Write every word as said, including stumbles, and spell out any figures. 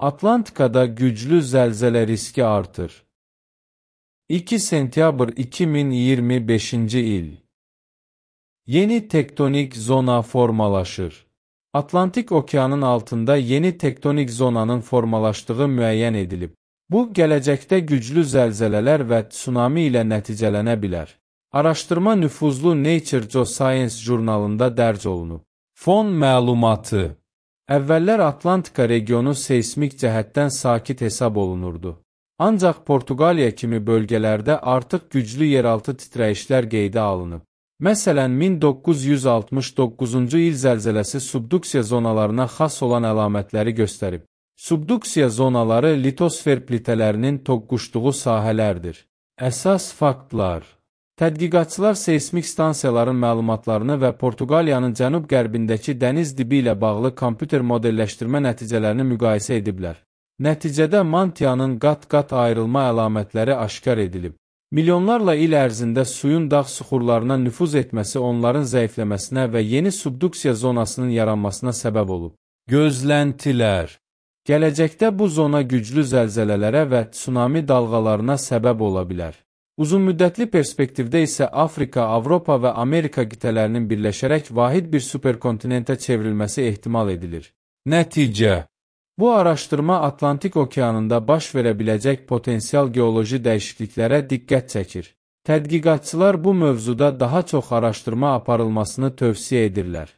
Atlantikada güclü zəlzələ riski artır. iki sentyabr iki min iyirmi beşinci il. Yeni tektonik zona formalaşır. Atlantik okeanın altında yeni tektonik zonanın formalaşdığı müəyyən edilib. Bu, gələcəkdə güclü zəlzələlər və tsunami ilə nəticələnə bilər. Araşdırma nüfuzlu Nature Geoscience jurnalında dərc olunub. Fon məlumatı. Əvvəllər Atlantika regionu seysmik cəhətdən sakit hesab olunurdu. Ancaq Portuqaliya kimi bölgələrdə artıq güclü yeraltı titrəyişlər qeydə alınıb. Məsələn, min doqquz yüz altmış doqquzuncu il zəlzələsi subduksiya zonalarına xas olan əlamətləri göstərib. Subduksiya zonaları litosfer plitələrinin toqquşduğu sahələrdir. Əsas faktlar. Tədqiqatçılar seysmik stansiyaların məlumatlarını və Portuqaliyanın cənub-qərbindəki dəniz dibi ilə bağlı kompüter modelləşdirmə nəticələrini müqayisə ediblər. Nəticədə mantiyanın qat-qat ayrılma əlamətləri aşkar edilib. Milyonlarla il ərzində suyun dağ süxurlarına nüfuz etməsi onların zəifləməsinə və yeni subduksiya zonasının yaranmasına səbəb olub. Gözləntilər. Gələcəkdə bu zona güclü zəlzələlərə və tsunami dalğalarına səbəb ola bilər. Uzunmüddətli perspektivdə isə Afrika, Avropa və Amerika qitələrinin birləşərək vahid bir superkontinentə çevrilməsi ehtimal edilir. Nəticə. Bu araşdırma Atlantik okeanında baş verə biləcək potensial geoloji dəyişikliklərə diqqət çəkir. Tədqiqatçılar bu mövzuda daha çox araşdırma aparılmasını tövsiyə edirlər.